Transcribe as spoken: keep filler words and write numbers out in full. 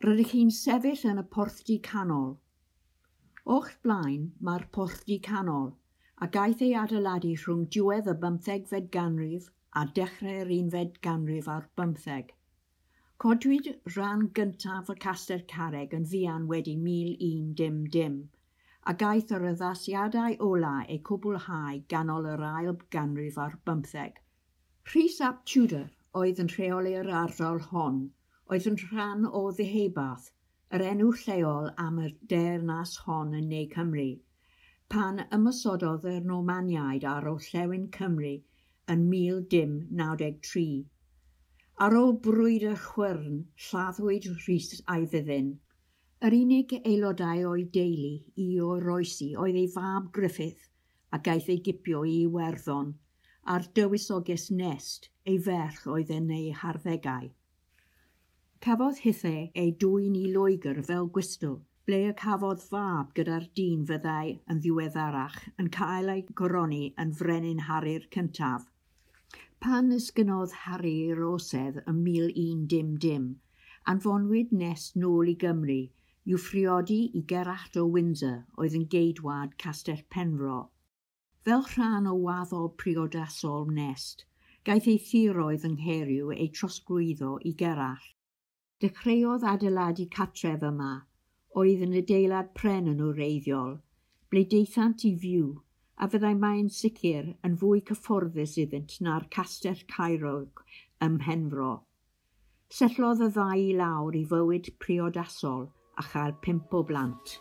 Rydych chi'n sefyll yn y porthdy canol. O'ch blaen mae'r porthdy canol, a gaeth ei adeiladu rhwng diwedd y bymthegfed ganrif a dechrau'r unfed ganrif ar bymtheg. Codwyd rhan gyntaf y castell carreg yn fuan wedi mil un dim dim, a gaeth yr addasiadau ola eu cwblhau ganol yr ail ganrif ar bymtheg. Rhys ap Tudor oedd yn rheoli'r ardal hon, oedd yn rhan o Ddeheubarth, yr enw lleol am y deyrnas hon yn Ne Cymru, pan ymosododd yr Normaniaid ar orllewin Cymru yn mil dim naw deg tri. Ar ôl brwydr chwyrn, lladdwyd Rhys a'i fyddin. Yr unig aelodau o'i deulu i oroesi oedd ei fab Griffith, a gaeth ei gipio i Iwerddon, a'r dywysoges Nest, ei ferch oedd yn ei harddegau. Cafodd hithe ei dwyn i Loegr fel gwystl, ble y cafodd fab gyda'r dyn fyddai yn ddiweddarach yn cael ei goroni yn frenin Harri'r cyntaf. Pan esgynodd Harri i'r orsedd ym mil un dim dim, anfonwyd Nest nôl i Gymru i'w phriodi i Gerallt o Windsor oedd yn geidwad Castell Penfro. Fel rhan o waddol priodasol Nest, gaeth ei thiroedd yng Nghaeriw eu trosglwyddo i Gerallt. Dechreuodd adeiladu cartref yma, oedd yn adeilad pren yn wreiddiol, ble daethant i fyw, a fyddai mae'n sicr yn fwy cyfforddus iddynt na'r castell caerog ym Mhenfro. Setlodd y ddau i lawr i fywyd priodasol a chael pump o blant.